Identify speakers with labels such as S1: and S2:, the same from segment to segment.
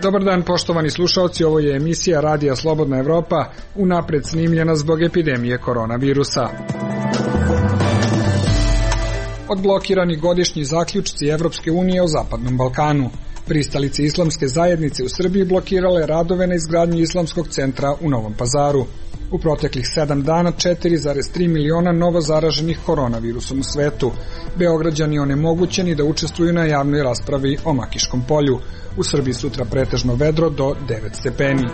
S1: Dobar dan, poštovani slušalci, ovo je emisija Radija Slobodna Evropa, unapred snimljena zbog epidemije koronavirusa. Odblokirani godišnji zaključci Evropske unije o Zapadnom Balkanu. Pristalice islamske zajednice u Srbiji blokirale radove na izgradnji islamskog centra u Novom Pazaru. U proteklih 7 dana 4,3 miliona novo zaraženih koronavirusom u svetu. Beograđani onemogućeni da učestvuju na javnoj raspravi o Makiškom polju. U Srbiji sutra pretežno vedro do 9 stepeni.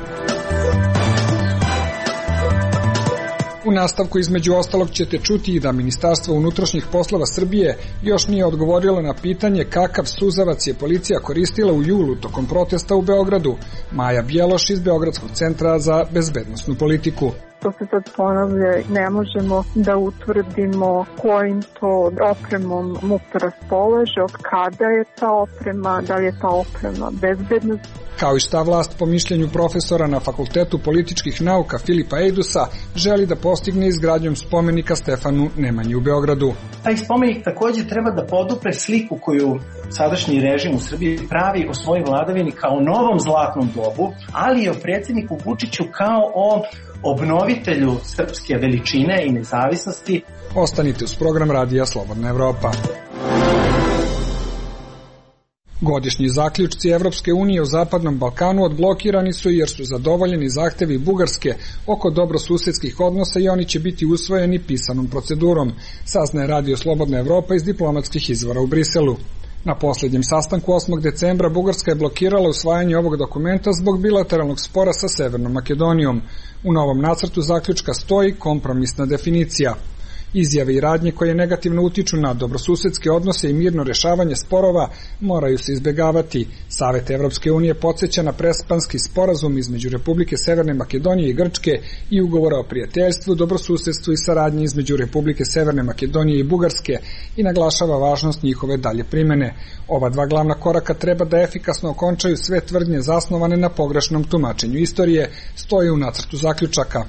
S1: U nastavku između ostalog ćete čuti i da Ministarstvo unutrašnjih poslova Srbije još nije odgovorilo na pitanje kakav suzavac je policija koristila u julu tokom protesta u Beogradu. Maja Bjeloš iz Beogradskog centra za bezbednosnu politiku.
S2: To se sad ponavlja, ne možemo da utvrdimo kojim to opremom MUP raspolaže, od kada je ta oprema, da li je ta oprema bezbedna.
S1: Kao i šta vlast po mišljenju profesora na Fakultetu političkih nauka Filipa Ejdusa želi da postigne izgradnjom spomenika Stefanu Nemanji u Beogradu.
S3: Taj spomenik takođe treba da podupre sliku koju sadašnji režim u Srbiji pravi o svojoj vladavini kao novom zlatnom dobu, ali i o predsjedniku Vučiću kao o obnovitelju srpske veličine i nezavisnosti.
S1: Ostanite uz program Radija Slobodna Evropa. Godišnji zaključci Evropske unije u Zapadnom Balkanu odblokirani su jer su zadovoljeni zahtevi Bugarske oko dobrosusedskih odnosa i oni će biti usvojeni pisanom procedurom, saznaje Radio Slobodna Evropa iz diplomatskih izvora u Briselu. Na posljednjem sastanku 8. decembra Bugarska je blokirala usvajanje ovog dokumenta zbog bilateralnog spora sa Severnom Makedonijom. U novom nacrtu zaključka stoji kompromisna definicija. Izjave i radnje koje negativno utiču na dobrosusedske odnose i mirno rešavanje sporova moraju se izbegavati. Savet Evropske unije podsjeća na prespanski sporazum između Republike Severne Makedonije i Grčke i ugovora o prijateljstvu, dobrosusedstvu i saradnji između Republike Severne Makedonije i Bugarske i naglašava važnost njihove dalje primene. Ova dva glavna koraka treba da efikasno okončaju sve tvrdnje zasnovane na pogrešnom tumačenju istorije, stoji u nacrtu zaključaka.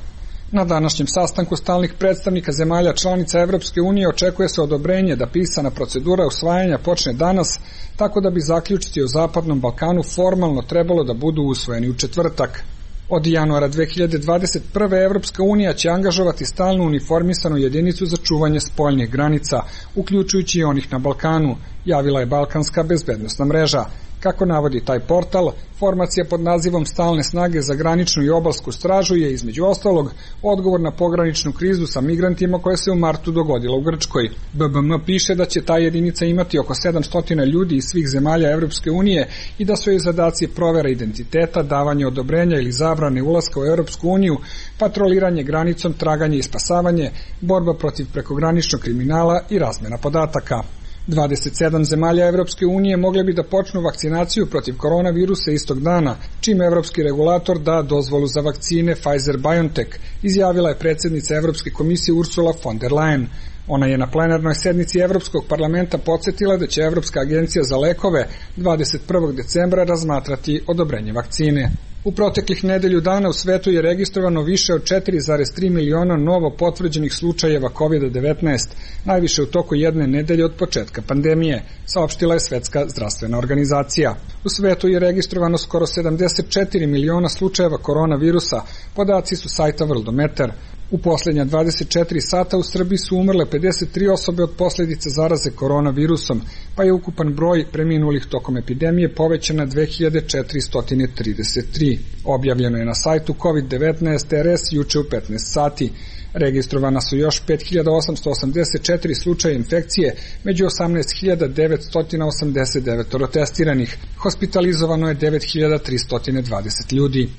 S1: Na današnjem sastanku stalnih predstavnika zemalja članica Evropske unije očekuje se odobrenje da pisana procedura usvajanja počne danas, tako da bi zaključci o Zapadnom Balkanu formalno trebalo da budu usvojeni u četvrtak. Od januara 2021. Evropska unija će angažovati stalnu uniformisanu jedinicu za čuvanje spoljnih granica, uključujući i onih na Balkanu, javila je Balkanska bezbednosna mreža. Kako navodi taj portal, formacija pod nazivom Stalne snage za graničnu i obalsku stražu je, između ostalog, odgovor na pograničnu krizu sa migrantima koja se u martu dogodila u Grčkoj. BBM piše da će ta jedinica imati oko 700 ljudi iz svih zemalja Evropske unije i da su joj zadaci provera identiteta, davanje odobrenja ili zabrane ulaska u Evropsku uniju, patroliranje granicom, traganje i spasavanje, borba protiv prekograničnog kriminala i razmena podataka. 27 zemalja Evropske unije mogle bi da počnu vakcinaciju protiv koronavirusa istog dana, čim evropski regulator da dozvolu za vakcine Pfizer-BioNTech, izjavila je predsjednica Evropske komisije Ursula von der Leyen. Ona je na plenarnoj sednici Evropskog parlamenta podsjetila da će Evropska agencija za lekove 21. decembra razmatrati odobrenje vakcine. U proteklih nedelju dana u svetu je registrovano više od 4,3 miliona novo potvrđenih slučajeva COVID-19, najviše u toku jedne nedelje od početka pandemije, saopštila je Svetska zdravstvena organizacija. U svetu je registrovano skoro 74 miliona slučajeva koronavirusa, podaci su sajta Worldometer. U posljednja 24 sata u Srbiji su umrle 53 osobe od posljedica zaraze koronavirusom, pa je ukupan broj preminulih tokom epidemije povećan na 2433. Objavljeno je na sajtu COVID-19 RS juče u 15 sati. Registrovana su još 5884 slučaja infekcije, među 18989 testiranih. Hospitalizovano je 9320 ljudi.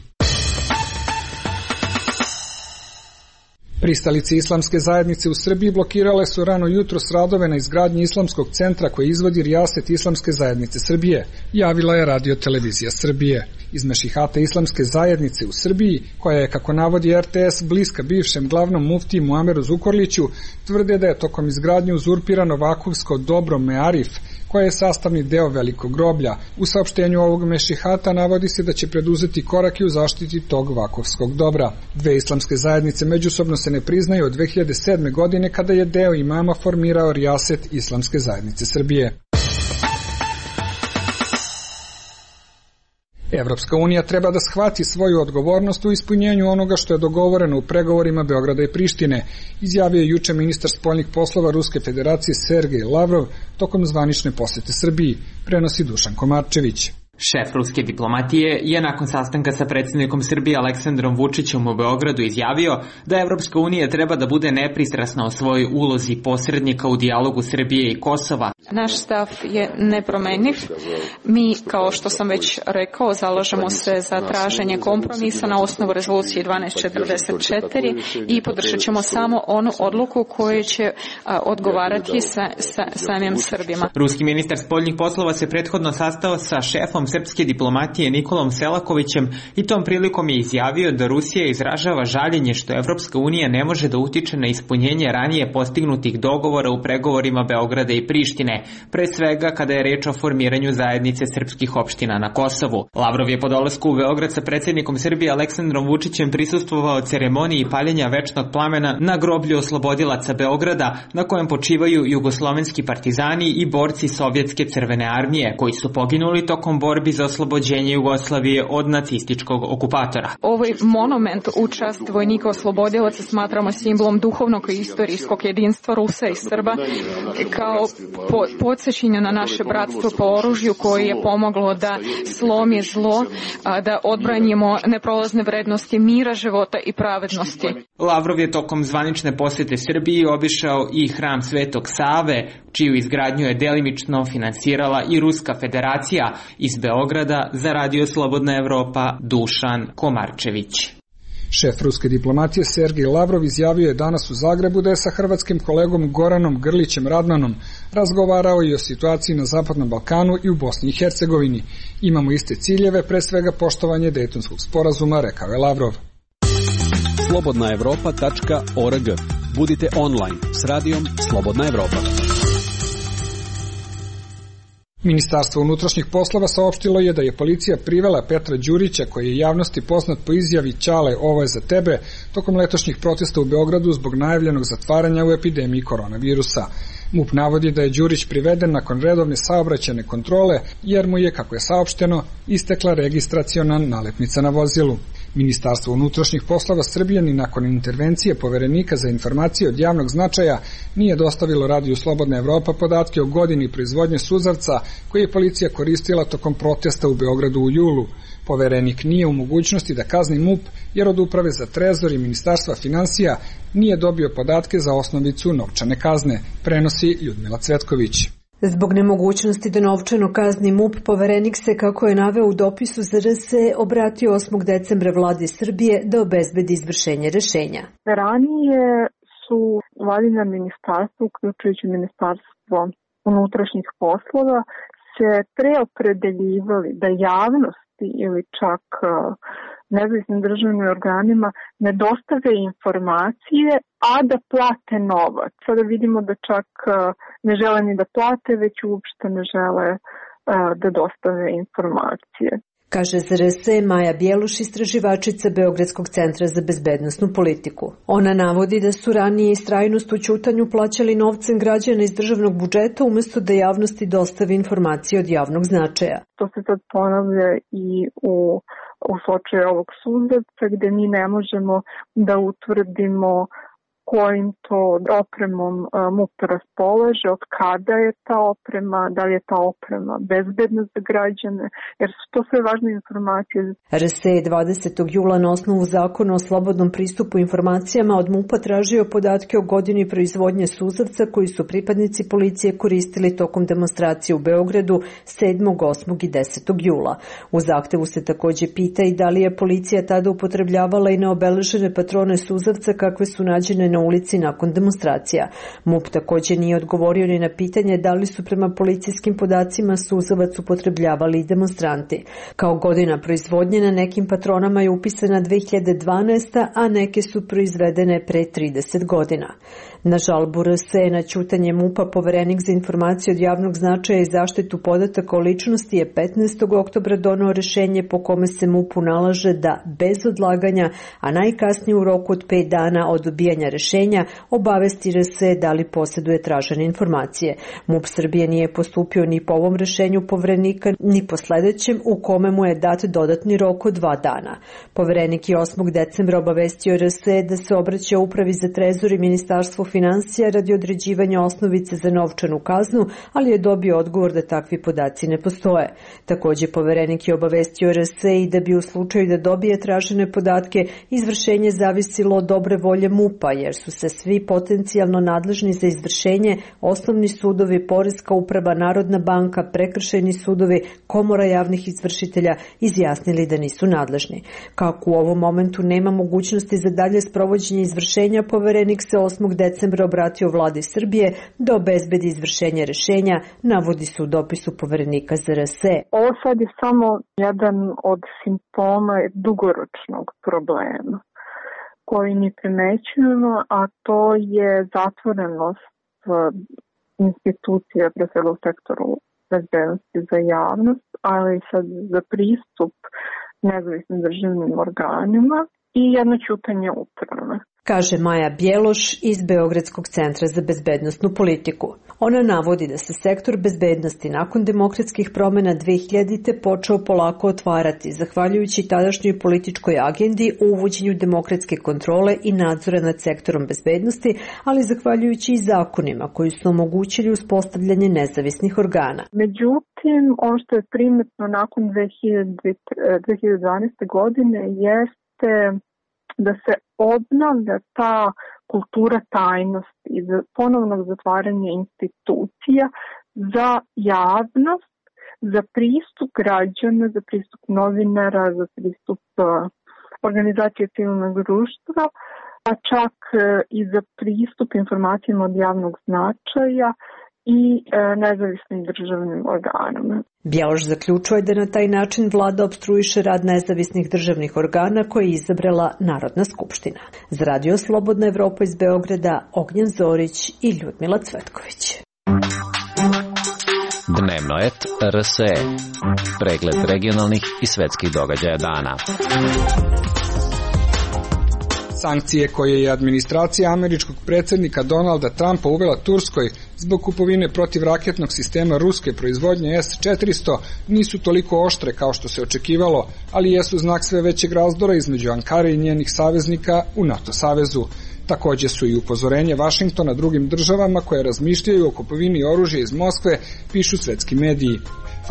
S1: Pristalice islamske zajednice u Srbiji blokirale su rano jutros radove na izgradnji islamskog centra koji izvodi rijaset Islamske zajednice Srbije, javila je Radio Televizija Srbije. Iz mešihata Islamske zajednice u Srbiji, koja je, kako navodi RTS, bliska bivšem glavnom muftiji Muameru Zukorliću, tvrde da je tokom izgradnje uzurpirano vakufsko dobro Mearif, koje je sastavni deo velikog groblja. U saopštenju ovog mešihata navodi se da će preduzeti korake u zaštiti tog vakufskog dobra. Dve islamske zajednice međusobno se ne priznaju od 2007. godine kada je deo imama formirao rijaset Islamske zajednice Srbije. Evropska unija treba da shvati svoju odgovornost u ispunjenju onoga što je dogovoreno u pregovorima Beograda i Prištine, izjavio je juče ministar spoljnih poslova Ruske federacije Sergej Lavrov tokom zvanične posete Srbiji, prenosi Dušan Komarčević.
S4: Šef ruske diplomatije je nakon sastanka sa predsjednikom Srbije Aleksandrom Vučićem u Beogradu izjavio da Evropska unija treba da bude nepristrasna o svojoj ulozi posrednika u dijalogu Srbije i Kosova.
S5: Naš stav je nepromenjiv. Mi, kao što sam već rekao, zalažemo se za traženje kompromisa na osnovu rezolucije 1244 i podržat ćemo samo onu odluku koja će odgovarati samim Srbima.
S4: Ruski ministar spoljnih poslova se prethodno sastao sa šefom srpske diplomatije Nikolom Selakovićem i tom prilikom je izjavio da Rusija izražava žaljenje što Evropska unija ne može da utiče na ispunjenje ranije postignutih dogovora u pregovorima Beograda i Prištine, pre svega kada je reč o formiranju zajednice srpskih opština na Kosovu. Lavrov je po dolasku u Beograd sa predsjednikom Srbije Aleksandrom Vučićem prisustvovao ceremoniji paljenja večnog plamena na groblju oslobodilaca Beograda, na kojem počivaju jugoslovenski partizani i borci Sovjetske crvene armije, koji su poginuli tokom borbi za oslobođenje Jugoslavije od nacističkog okupatora.
S5: Ovaj monument u čast vojnika oslobodilaca smatramo simbolom duhovnog i istorijskog jedinstva Rusa i Srba, kao podsjećanje na naše bratstvo po oružju koje je pomoglo da slomi zlo, da odbranimo neprolazne vrednosti mira, života i pravednosti.
S4: Lavrov je tokom zvanične posete Srbiji obišao i hram Svetog Save, čiju izgradnju je delimično finansirala i Ruska federacija. Iz Beograda za Radio Slobodna Evropa, Dušan Komarčević.
S1: Šef ruske diplomatije Sergej Lavrov izjavio je danas u Zagrebu da je sa hrvatskim kolegom Goranom Grlićem Radmanom razgovarao i o situaciji na Zapadnom Balkanu i u Bosni i Hercegovini. Imamo iste ciljeve, pre svega poštovanje Dejtonskog sporazuma, rekao je Lavrov.
S6: slobodnaevropa.org. Budite online s radijom Slobodna Evropa.
S1: Ministarstvo unutrašnjih poslova saopštilo je da je policija privela Petra Đurića, koji je javnosti poznat po izjavi "Ćale, ovo je za tebe", tokom letošnjih protesta u Beogradu zbog najavljenog zatvaranja u epidemiji koronavirusa. MUP navodi da je Đurić priveden nakon redovne saobraćajne kontrole, jer mu je, kako je saopšteno, istekla registraciona nalepnica na vozilu. Ministarstvo unutrašnjih poslova Srbije ni nakon intervencije Poverenika za informacije od javnog značaja nije dostavilo Radiju Slobodna Evropa podatke o godini proizvodnje suzavca koji je policija koristila tokom protesta u Beogradu u julu. Poverenik nije u mogućnosti da kazni MUP jer od Uprave za trezor i Ministarstva finansija nije dobio podatke za osnovicu novčane kazne, prenosi Ljudmila Cvetković.
S7: Zbog nemogućnosti da novčano kazni MUP, Poverenik se, kako je naveo u dopisu za RS, obratio 8. decembra vladi Srbije da obezbedi izvršenje rešenja.
S2: Ranije su vladina ministarstva, uključujući Ministarstvo unutrašnjih poslova, se preopredeljivali da javnosti ili čak nezavisnim državnim organima ne dostave informacije, a da plate novac. Sada vidimo da čak ne žele ni da plate, već uopšte ne žele da dostave informacije.
S7: Kaže za RS Maja Bjeluš, istraživačica Beogradskog centra za bezbednosnu politiku. Ona navodi da su ranije istrajnost u ćutanju plaćali novcem građana iz državnog budžeta umesto da javnosti dostavi informacije od javnog značaja.
S2: To se sad ponavlja i u slučaju ovog suzavca, gde mi ne možemo da utvrdimo kojim to opremom MUP raspolaže, od kada je ta oprema, da li je ta oprema bezbedna za građane, jer su to sve važne informacije.
S7: RSE je 20. jula na osnovu zakona o slobodnom pristupu informacijama od MUP-a tražio podatke o godini proizvodnje suzavca koji su pripadnici policije koristili tokom demonstracije u Beogradu 7., 8. i 10. jula. U zahtevu se takođe pita i da li je policija tada upotrebljavala i neobeležene patrone suzavca kakve su nađene na ulici nakon demonstracija. MUP takođe nije odgovorio ni na pitanje da li su prema policijskim podacima suzavac upotrebljavali i demonstranti. Kao godina proizvodnje na nekim patronama je upisana 2012. a neke su proizvedene pre 30 godina. Na žalbu RSE na ćutanje MUP-a Poverenik za informacije od javnog značaja i zaštitu podataka o ličnosti je 15. oktobra doneo rešenje po kome se MUP-u nalaže da bez odlaganja, a najkasnije u roku od 5 dana od dobijanja rešenja, rešenja obavesti RS da li posjeduje tražene informacije. MUP Srbije nije postupio ni po ovom rešenju Poverenika, ni po sledećem u kome mu je dat dodatni rok od 2 dana. Poverenik je 8. decembra obavestio RS da se obraća Upravi za trezor i Ministarstvu finansija radi određivanja osnovice za novčanu kaznu, ali je dobio odgovor da takvi podaci ne postoje. Takođe, Poverenik je obavestio RS i da bi u slučaju da dobije tražene podatke, izvršenje zavisilo od dobre volje MUP-a, jer su se svi potencijalno nadležni za izvršenje, osnovni sudovi, Poreska uprava, Narodna banka, prekršajni sudovi, Komora javnih izvršitelja izjasnili da nisu nadležni. Kako u ovom momentu nema mogućnosti za dalje sprovođenje izvršenja, Poverenik se 8. decembra obratio vladi Srbije da obezbedi izvršenje rešenja, navodi se u dopisu Poverenika za RS.
S2: Ovo sad je samo jedan od simptoma dugoročnog problema koji mi primećujemo, a to je zatvorenost institucija pre svega u sektoru bezbednosti za javnost, ali i sad za pristup nezavisnim državnim organima i jedno ćutanje uprave.
S7: Kaže Maja Bjeloš iz Beogradskog centra za bezbednosnu politiku. Ona navodi da se sektor bezbednosti nakon demokratskih promena 2000. počeo polako otvarati, zahvaljujući tadašnjoj političkoj agendi o uvođenju demokratske kontrole i nadzora nad sektorom bezbednosti, ali zahvaljujući i zakonima koji su omogućili uspostavljanje nezavisnih organa.
S2: Međutim, ono što je primetno nakon 2012. godine jeste da se obnavlja ta kultura tajnosti i ponovnog zatvaranja institucija za javnost, za pristup građana, za pristup novinara, za pristup organizacije civilnog društva, a čak i za pristup informacijama od javnog značaja i nezavisnim državnim organama.
S7: Bjeloš zaključuje da na taj način vlada opstruiše rad nezavisnih državnih organa koje je izabrala Narodna skupština. Za Radio Slobodna Evropa iz Beograda, Ognjen Zorić i Ljudmila Cvetković.
S8: Dnevno et RSE. Pregled regionalnih i svetskih događaja dana.
S1: Sankcije koje je administracija američkog predsjednika Donalda Trumpa uvela Turskoj zbog kupovine protivraketnog sistema ruske proizvodnje S-400 nisu toliko oštre kao što se očekivalo, ali jesu znak sve većeg razdora između Ankare i njenih saveznika u NATO savezu. Takođe su i upozorenje Vašingtona drugim državama koje razmišljaju o kupovini oružja iz Moskve, pišu svetski mediji.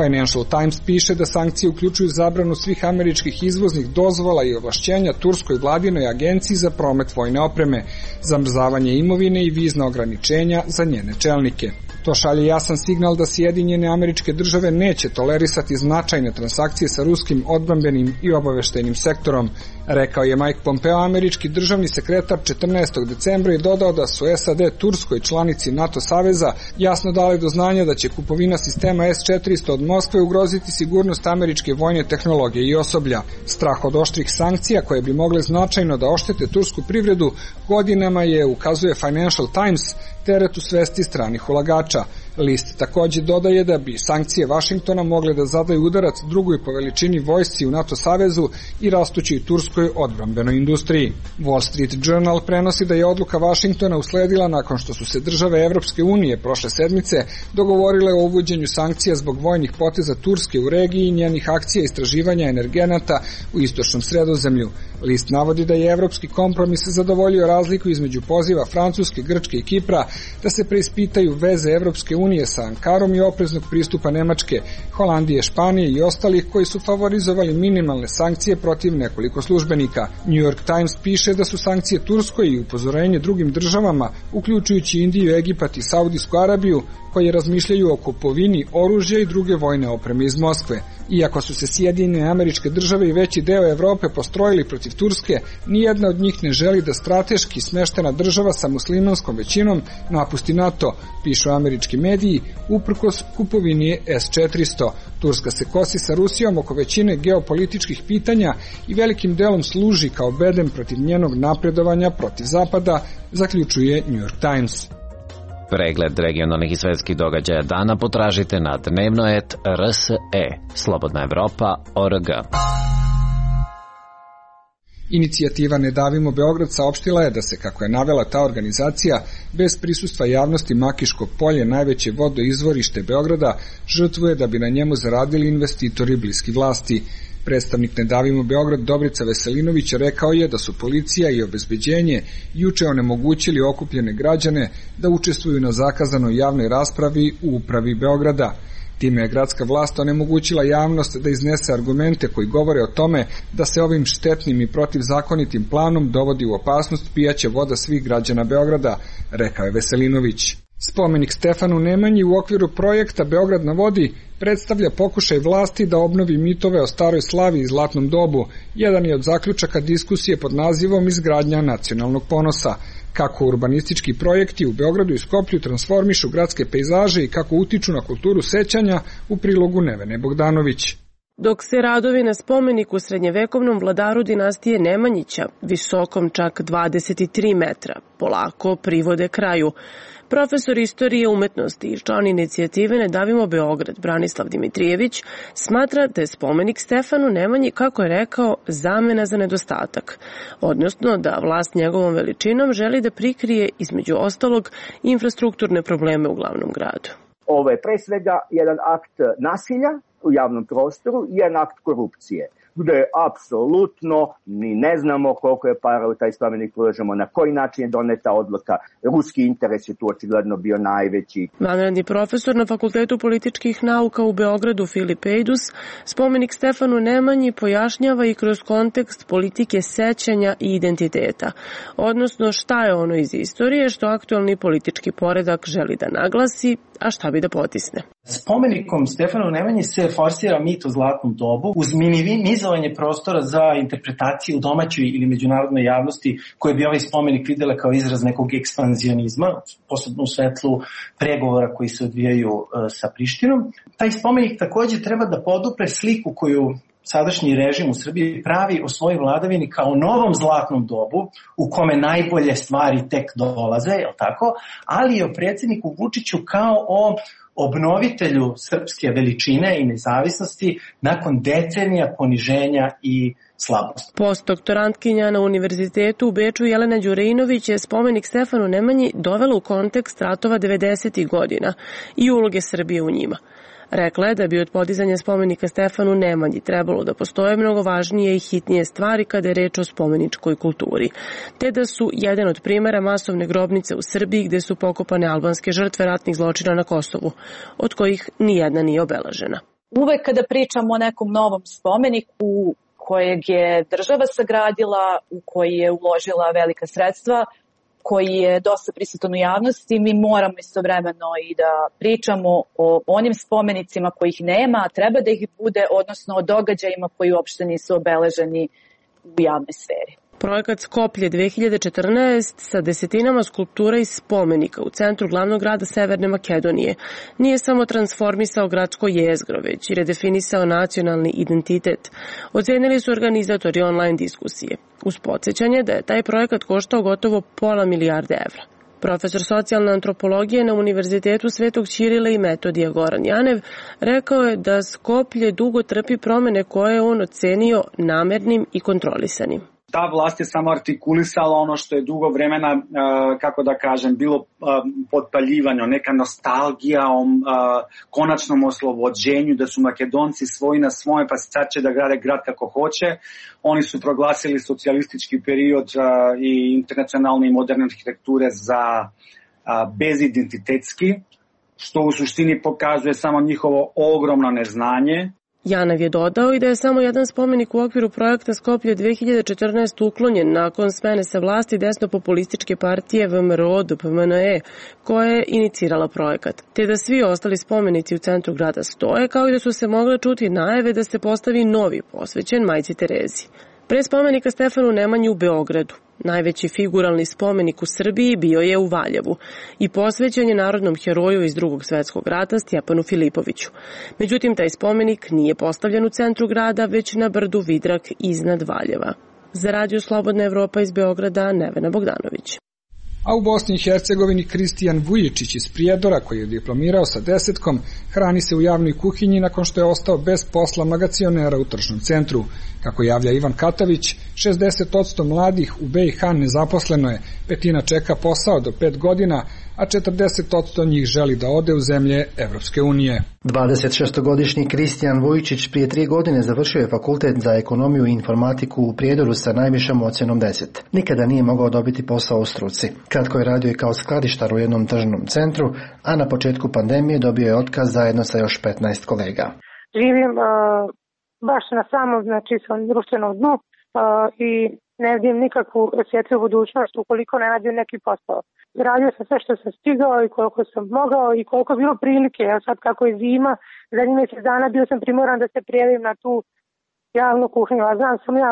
S1: Financial Times piše da sankcije uključuju zabranu svih američkih izvoznih dozvola i ovlašćenja Turskoj vladinoj agenciji za promet vojne opreme, zamrzavanje imovine i vizna ograničenja za njene čelnike. To šalje jasan signal da Sjedinjene Američke Države neće tolerisati značajne transakcije sa ruskim odbrambenim i obaveštajnim sektorom, rekao je Mike Pompeo, američki državni sekretar 14. decembra i dodao da su SAD Turskoj, članici NATO saveza, jasno dali do znanja da će kupovina sistema S-400 od Moskve ugroziti sigurnost američke vojne tehnologije i osoblja. Strah od oštrih sankcija koje bi mogle značajno da oštete tursku privredu godinama je, ukazuje Financial Times, teret u svesti stranih ulagača. List takođe dodaje da bi sankcije Vašingtona mogle da zadaju udarac drugoj po veličini vojsci u NATO savezu i rastućoj turskoj odbrambenoj industriji. Wall Street Journal prenosi da je odluka Vašingtona usledila nakon što su se države Evropske unije prošle sedmice dogovorile o uvođenju sankcija zbog vojnih poteza Turske u regiji i njenih akcija istraživanja energenata u istočnom Sredozemlju. List navodi da je evropski kompromis zadovoljio razliku između poziva Francuske, Grčke i Kipra da se preispitaju veze Evropske unije sa Ankarom i opreznog pristupa Nemačke, Holandije, Španije i ostalih koji su favorizovali minimalne sankcije protiv nekoliko službenika. New York Times piše da su sankcije Turskoj i upozorenje drugim državama, uključujući Indiju, Egipat i Saudijsku Arabiju, koje razmišljaju o kupovini oružja i druge vojne opreme iz Moskve. Iako su se Sjedinjene Američke Države i veći deo Evrope postrojili protiv Turske, nijedna od njih ne želi da strateški smeštena država sa muslimanskom većinom napusti NATO, pišu američki mediji, uprkos kupovini S-400. Turska se kosi sa Rusijom oko većine geopolitičkih pitanja i velikim delom služi kao bedem protiv njenog napredovanja protiv Zapada, zaključuje New York Times.
S8: Pregled regionalnih i svetskih događaja dana potražite na dnevnoet.rse. Slobodna Evropa.org.
S1: Inicijativa Ne davimo Beograd saopštila je da se, kako je navela ta organizacija, bez prisustva javnosti Makiško polje, najveće vodoizvorište Beograda, žrtvuje da bi na njemu zaradili investitori bliski vlasti. Predstavnik Ne davimo Beograd Dobrica Veselinović rekao je da su policija i obezbeđenje juče onemogućili okupljene građane da učestvuju na zakazanoj javnoj raspravi u upravi Beograda. Time je gradska vlast onemogućila javnost da iznese argumente koji govore o tome da se ovim štetnim i protivzakonitim planom dovodi u opasnost pijaća voda svih građana Beograda, rekao je Veselinović. Spomenik Stefanu Nemanji u okviru projekta Beograd na vodi predstavlja pokušaj vlasti da obnovi mitove o staroj slavi i zlatnom dobu. Jedan je od zaključaka diskusije pod nazivom Izgradnja nacionalnog ponosa. Kako urbanistički projekti u Beogradu i Skoplju transformišu gradske pejzaže i kako utiču na kulturu sećanja, u prilogu Nevene Bogdanović.
S9: Dok se radovi na spomeniku srednjevekovnom vladaru dinastije Nemanjića, visokom čak 23 metra, polako privode kraju. Profesor istorije umetnosti i član inicijative Ne davimo Beograd, Branislav Dimitrijević, smatra da je spomenik Stefanu Nemanji, kako je rekao, zamena za nedostatak, odnosno da vlast njegovom veličinom želi da prikrije, između ostalog, infrastrukturne probleme u glavnom gradu.
S10: Ovo je pre svega jedan akt nasilja u javnom prostoru i jedan akt korupcije, gde apsolutno ni ne znamo koliko je para u taj spomenik ulažemo, na koji način je doneta odluka. Ruski interes je tu očigledno bio najveći.
S9: Vanredni profesor na Fakultetu političkih nauka u Beogradu Filip Ejdus spomenik Stefanu Nemanji pojašnjava i kroz kontekst politike sećanja i identiteta, odnosno šta je ono iz istorije što aktualni politički poredak želi da naglasi, a šta bi da potisne.
S3: Spomenikom Stefanu Nemanji se forsira mit o zlatnom dobu uz minimizovanje prostora za interpretaciju u domaćoj ili međunarodnoj javnosti koje bi ovaj spomenik videla kao izraz nekog ekspanzionizma, posebno u svetlu pregovora koji se odvijaju sa Prištinom. Taj spomenik takođe treba da podupre sliku koju sadašnji režim u Srbiji pravi o svojoj vladavini kao novom zlatnom dobu u kome najbolje stvari tek dolaze, je li tako? Ali i o predsjedniku Vučiću kao o obnovitelju srpske veličine i nezavisnosti nakon decenija poniženja i slabosti.
S9: Postdoktorantkinja na Univerzitetu u Beču Jelena Đurejnović je spomenik Stefanu Nemanji dovela u kontekst ratova 90. godina i uloge Srbije u njima. Rekla je da bi od podizanja spomenika Stefanu Nemanji trebalo da postoje mnogo važnije i hitnije stvari kada je reč o spomeničkoj kulturi, te da su jedan od primera masovne grobnice u Srbiji gde su pokopane albanske žrtve ratnih zločina na Kosovu, od kojih nijedna nije obeležena.
S11: Uvek kada pričamo o nekom novom spomeniku kojeg je država sagradila, u koji je uložila velika sredstva, koji je dosta prisutan u javnosti, mi moramo istovremeno i da pričamo o onim spomenicima kojih nema, a treba da ih bude, odnosno o događajima koji uopšte nisu obeleženi u javnoj sferi.
S9: Projekat Skoplje 2014 sa desetinama skulptura i spomenika u centru glavnog grada Severne Makedonije nije samo transformisao gradsko jezgro, već i redefinisao nacionalni identitet. Ocenili su organizatori online diskusije, uz podsjećanje da je taj projekat koštao gotovo $500 milijarde evra. Profesor socijalne antropologije na Univerzitetu Svetog Ćirila i Metodija Goran Janev rekao je da Skoplje dugo trpi promene koje je on ocenio namernim i kontrolisanim.
S12: Ta vlast je samo artikulisala ono što je dugo vremena, kako da kažem, bilo potpaljivanje, neka nostalgija o konačnom oslobođenju, da su Makedonci svoji na svoje, pa sad će da grade grad kako hoće. Oni su proglasili socijalistički period i internacionalne i moderne arhitekture za bezidentitetski, što u suštini pokazuje samo njihovo ogromno neznanje.
S9: Janev je dodao i da je samo jedan spomenik u okviru projekta Skoplje 2014 uklonjen nakon smene sa vlasti desnopopulističke partije VMRO-DPMNE, koja je inicirala projekat, te da svi ostali spomenici u centru grada stoje, kao i da su se mogle čuti najave da se postavi novi posvećen Majci Terezi. Pre spomenika Stefanu Nemanji u Beogradu, najveći figuralni spomenik u Srbiji bio je u Valjevu i posvećen je narodnom heroju iz Drugog svetskog rata Stjepanu Filipoviću. Međutim, taj spomenik nije postavljen u centru grada, već na brdu Vidrak iznad Valjeva. Za Radio Slobodna Evropa iz Beograda, Nevena Bogdanović.
S1: A u Bosni i Hercegovini Kristijan Vujičić iz Prijedora, koji je diplomirao sa 10, hrani se u javnoj kuhinji nakon što je ostao bez posla magacionera u tržnom centru. Kako javlja Ivan Katavić, 60% mladih u BiH nezaposleno je, petina čeka posao do 5 godina, a 40% njih želi da ode u zemlje Evropske unije.
S13: 26-godišnji Kristijan Vujičić prije 3 godine završio je fakultet za ekonomiju i informatiku u Prijedoru sa najvišom ocjenom 10. Nikada nije mogao dobiti posao u struci. Kratko je radio i kao skladištar u jednom tržnom centru, a na početku pandemije dobio je otkaz zajedno sa još 15 kolega.
S14: Živim baš na samom, svom društvenom dnu i ne vidim nikakvu svjetlu budućnost ukoliko ne nađem neki posao. Radio sam sve što sam stigao i koliko sam mogao i koliko je bilo prilike. Ja sad kako je zima, zadnjih mjesec dana bio sam primoran da se prijavim na tu javnu kuhinju. A znam sam ja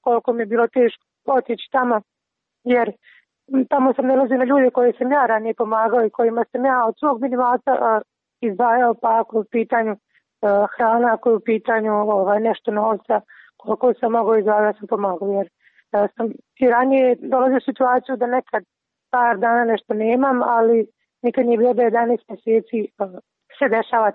S14: koliko mi je bilo teško otići tamo, jer tamo sam nalazio na ljude koje sam ja ranije pomagao i kojima sam ja od svog minimalca izdvajao, pa ako je u pitanju hrana, ako je u pitanju nešto novca, koliko sam mogao izdvajao, sam pomagao, jer sam i ranije dolazio u situaciju da nekad par dana nešto nemam, ali nikad nije bilo da 11 mjeseci se dešava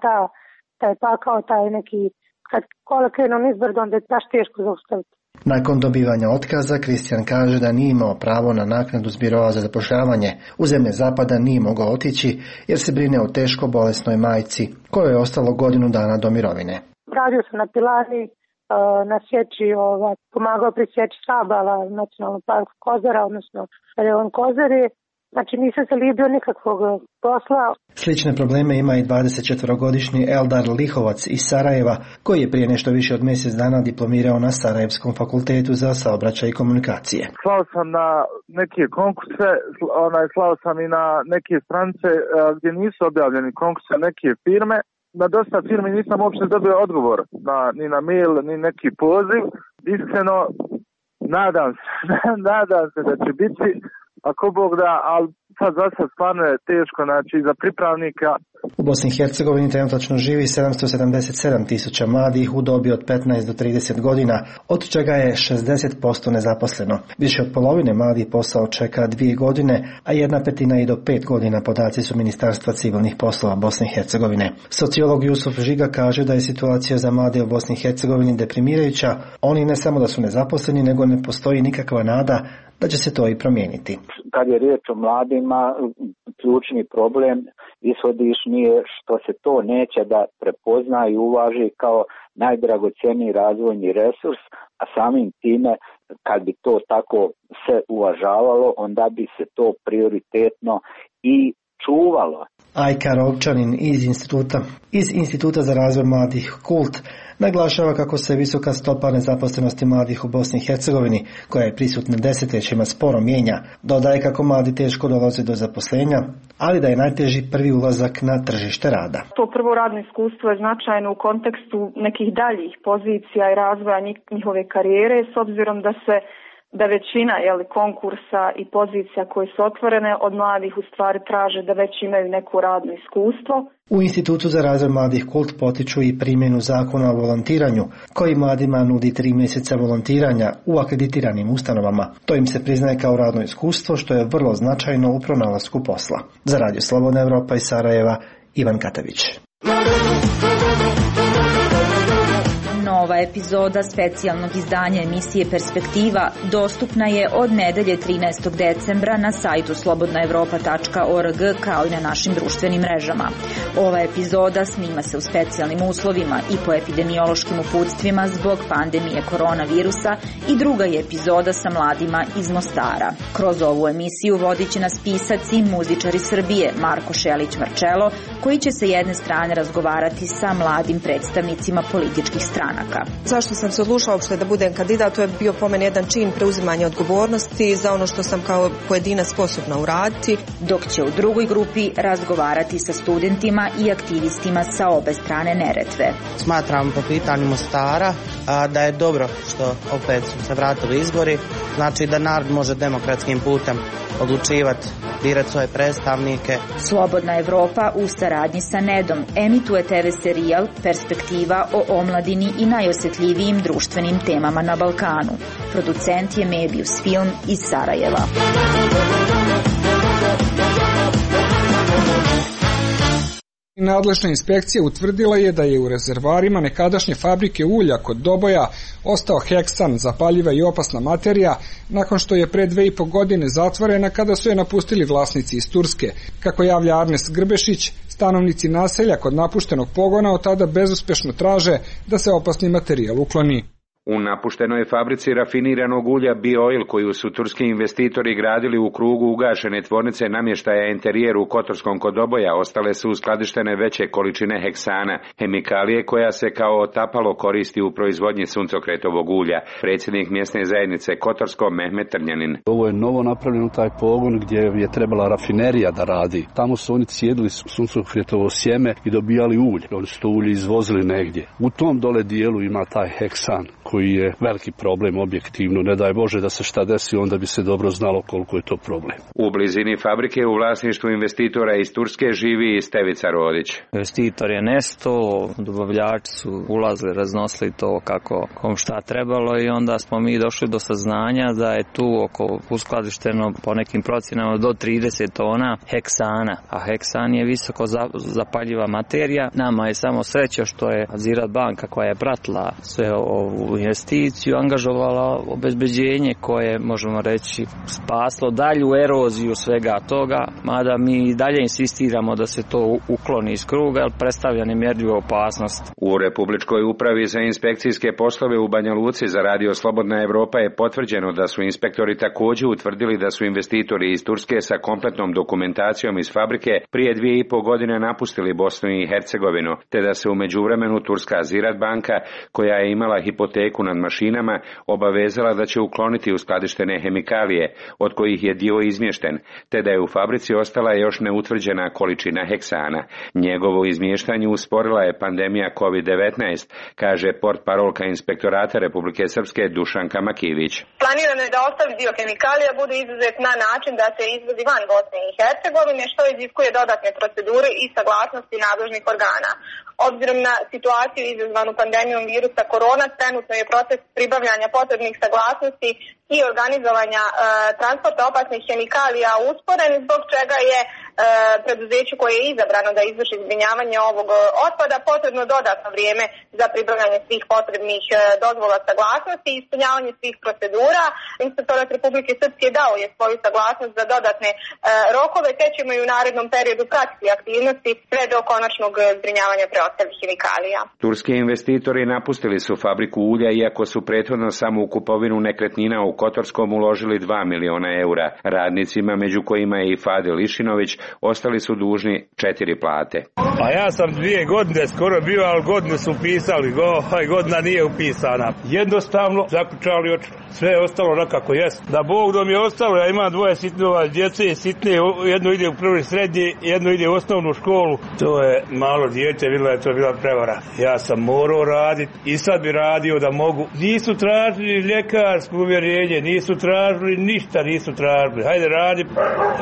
S14: taj pakao, taj neki, kad kola krenu nizbrdo, onda je baš teško zaustaviti.
S13: Nakon dobivanja otkaza, Kristijan kaže da nije imao pravo na naknadu s biroa za zapošljavanje. U zemlje zapada nije mogao otići jer se brine o teško bolesnoj majci, kojoj je ostalo godinu dana do mirovine.
S14: Radio sam na pilani, na sječi, pomagao pri sječi stabala Nacionalnog parka Kozara, odnosno Reon Kozari. Znači nisam se libio nikakvog posla.
S13: Slične probleme ima i 24-godišnji Eldar Lihovac iz Sarajeva, koji je prije nešto više od mjesec dana diplomirao na Sarajevskom fakultetu za saobraćaj i komunikacije.
S15: Slao sam na neke konkurse, slao sam i na neke stranice gdje nisu objavljeni konkurse, neke firme. Na dosta firmi nisam uopće dobio odgovor, ni na mail, ni neki poziv. Iskreno, nadam se da će biti, ako Bog da, ali za sad stvarno je teško, za pripravnika.
S13: U Bosni i Hercegovini trenutačno živi 777.000 mladih u dobi od 15 do 30 godina, od čega je 60% nezaposleno. Više od polovine mladih posao čeka 2 godine, a 1/5 i do 5 godina, podaci su Ministarstva civilnih poslova Bosne i Hercegovine. Sociolog Jusuf Žiga kaže da je situacija za mlade u Bosni i Hercegovini deprimirajuća. Oni ne samo da su nezaposleni, nego ne postoji nikakva nada da će se to i promijeniti.
S16: Kad je riječ o mladima, ključni problem ishodišnji je što se to neće da prepozna i uvaži kao najdragoceniji razvojni resurs, a samim time kad bi to tako se uvažavalo, onda bi se to prioritetno i čuvalo.
S13: Ajka Rovčanin iz Instituta za razvoj mladih KULT naglašava kako se visoka stopa nezaposlenosti mladih u Bosni i Hercegovini, koja je prisutna desetljećima, sporo mijenja. Dodaje kako mladi teško dolaze do zaposlenja, ali da je najteži prvi ulazak na tržište rada.
S17: To prvo radno iskustvo je značajno u kontekstu nekih daljih pozicija i razvoja njihove karijere, s obzirom da većina konkursa i pozicija koje su otvorene od mladih u stvari traže da već imaju neko radno iskustvo.
S13: U Institutu za razvoj mladih KULT potiču i primjenu zakona o volontiranju, koji mladima nudi 3 mjeseca volontiranja u akreditiranim ustanovama. To im se priznaje kao radno iskustvo, što je vrlo značajno u pronalasku posla. Za Radio Slobodna Evropa iz Sarajeva, Ivan Katavić.
S18: Nova epizoda specijalnog izdanja emisije Perspektiva dostupna je od nedelje 13. decembra na sajtu slobodnaevropa.org kao i na našim društvenim mrežama. Ova epizoda snima se u specijalnim uslovima i po epidemiološkim uputstvima zbog pandemije koronavirusa i druga je epizoda sa mladima iz Mostara. Kroz ovu emisiju vodit će nas pisac i muzičar iz Srbije Marko Šelić-Marčelo, koji će sa jedne strane razgovarati sa mladim predstavnicima političkih stranaka.
S19: Zašto sam se odlučila uopšte da budem kandidat? To je bio po meni jedan čin preuzimanja odgovornosti za ono što sam kao pojedinac sposobna uraditi.
S18: Dok će u drugoj grupi razgovarati sa studentima i aktivistima sa obe strane Neretve.
S20: Smatram po pitanju Mostara da je dobro što opet su se vratili izbori, znači da narod može demokratskim putem odlučivati, birati svoje predstavnike.
S18: Slobodna Evropa u saradnji sa Nedom emituje TV serijal Perspektiva o omladini i najosjetljivijim društvenim temama na Balkanu. Producent je Mebius Film iz Sarajeva.
S1: Nadležna inspekcija utvrdila je da je u rezervoarima nekadašnje fabrike ulja kod Doboja ostao heksan, zapaljiva i opasna materija, nakon što je pre 2,5 godine zatvorena kada su je napustili vlasnici iz Turske. Kako javlja Arnes Grbešić, stanovnici naselja kod napuštenog pogona od tada bezuspešno traže da se opasni materijal ukloni.
S21: U napuštenoj fabrici rafiniranog ulja BioOil koju su turski investitori gradili u krugu ugašene tvornice namještaja Interijer u Kotorskom kod Doboja ostale su uskladištene veće količine heksana, hemikalije koja se kao otapalo koristi u proizvodnji suncokretovog ulja. Predsjednik mjesne zajednice Kotorsko Mehmet Trnjanin.
S22: Ovo je novo napravljeno taj pogon gdje je trebala rafinerija da radi. Tamo su oni cijedili suncokretovo sjeme i dobijali ulje. Oni su to ulje izvozili negdje. U tom dole dijelu ima taj heksan koji je veliki problem objektivno. Ne daj Bože da se šta desi, onda bi se dobro znalo koliko je to problem.
S21: U blizini fabrike u vlasništvu investitora iz Turske živi i Stevica Rodić.
S23: Investitor je nestao, dobavljači su ulazili, raznosili to kako kom šta trebalo i onda smo mi došli do saznanja da je tu oko uskladišteno po nekim procjenama do 30 tona heksana, a heksan je visoko zapaljiva materija. Nama je samo sreća što je Ziraat banka koja je pratila sve ovu investiciju angažovala obezbeđenje koje, možemo reći, spaslo dalju eroziju svega toga, mada mi dalje insistiramo da se to ukloni iz kruga, jer predstavlja nemjerljivu opasnost.
S21: U Republičkoj upravi za inspekcijske poslove u Banja Luci za Radio Slobodna Evropa je potvrđeno da su inspektori također utvrdili da su investitori iz Turske sa kompletnom dokumentacijom iz fabrike prije 2,5 godine napustili Bosnu i Hercegovinu, te da se u međuvremenu turska Ziraat banka, koja je imala hipoteku nad mašinama, obavezala da će ukloniti uskladištene hemikalije, od kojih je dio izmješten, te da je u fabrici ostala još neutvrđena količina heksana. Njegovo izmještanje usporila je pandemija COVID-19, kaže portparolka Inspektorata Republike Srpske Dušanka Makivić.
S24: Planirano je da ostali dio hemikalija bude izuzet na način da se izvozi van Bosne i Hercegovine, što iziskuje dodatne procedure i saglasnosti nadležnih organa. Obzirom na situaciju izazvanu pandemijom virusa korona, trenutno je proces pribavljanja potrebnih saglasnosti i organizovanja transporta opasnih hemikalija usporen, zbog čega je preduzeću koje je izabrano da izvrši zbrinjavanje ovog otpada potrebno dodatno vrijeme za pribavljanje svih potrebnih dozvola saglasnosti i ispunjavanje svih procedura. Inspektorat Republike Srpske dao je svoju saglasnost za dodatne rokove, te ćemo i u narednom periodu pratiti aktivnosti sve do konačnog zbrinjavanja preostalih hemikalija.
S21: Turski investitori napustili su fabriku ulja, iako su prethodno samo u kupovinu nekretnina u Kotorskom uložili 2 miliona eura. Radnicima, među kojima je i Fadil Išinović, ostali su dužni 4 plate.
S25: A ja sam 2 godine skoro bio, ali godinu su upisali, godina nije upisana. Jednostavno zaključali oči. Sve je ostalo nekako jest. Da Bog da mi je ostalo, ja imam 2 sitnova djece, sitne, jedno ide u prvi srednji, jedno ide u osnovnu školu. To je malo dijete, vidjela je to bila prevara. Ja sam morao raditi i sad bi radio da mogu. Nisu tražili ljekarsko uvjerenje, nisu tražili ništa, nisu tražili. Hajde radi,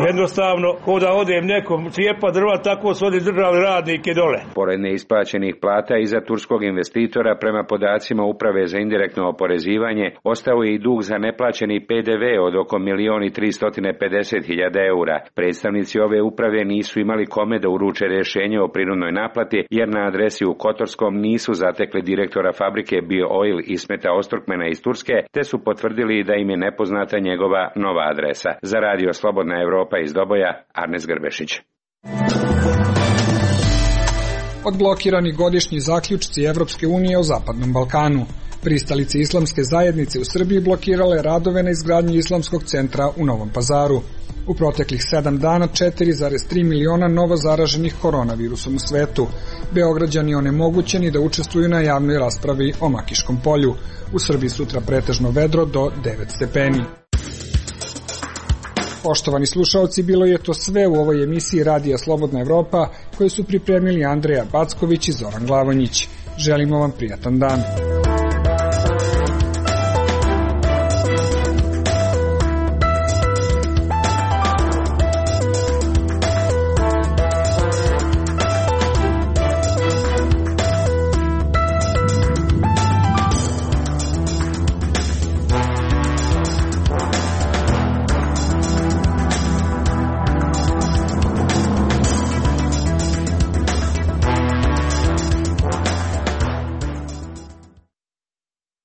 S25: jednostavno, ko da odem nekom cijepa drva, tako su oni držali radnike dole.
S21: Pored neisplaćenih plata iza turskog investitora, prema podacima Uprave za indirektno oporezivanje, ostao je i dug za neplaćeni PDV od oko 1.350.000 eura. Predstavnici ove uprave nisu imali kome da uruče rješenje o prinudnoj naplati, jer na adresi u Kotorskom nisu zatekli direktora fabrike BioOil Ismeta Ostrukmena iz Turske, te su potvrdili da im je nepoznata njegova nova adresa. Za Radio Slobodna Evropa iz Doboja, Arnes Grbešić.
S1: Odblokirani godišnji zaključci Evropske unije o Zapadnom Balkanu. Pristalice islamske zajednice u Srbiji blokirale radove na izgradnji islamskog centra u Novom Pazaru. U proteklih 7 dana 4,3 miliona novo zaraženih koronavirusom u svetu. Beograđani onemogućeni da učestvuju na javnoj raspravi o Makiškom polju. U Srbiji sutra pretežno vedro do 9 stepeni. Poštovani slušaoci, bilo je to sve u ovoj emisiji Radija Slobodna Evropa koju su pripremili Andreja Backović i Zoran Glavonjić. Želimo vam prijatan dan.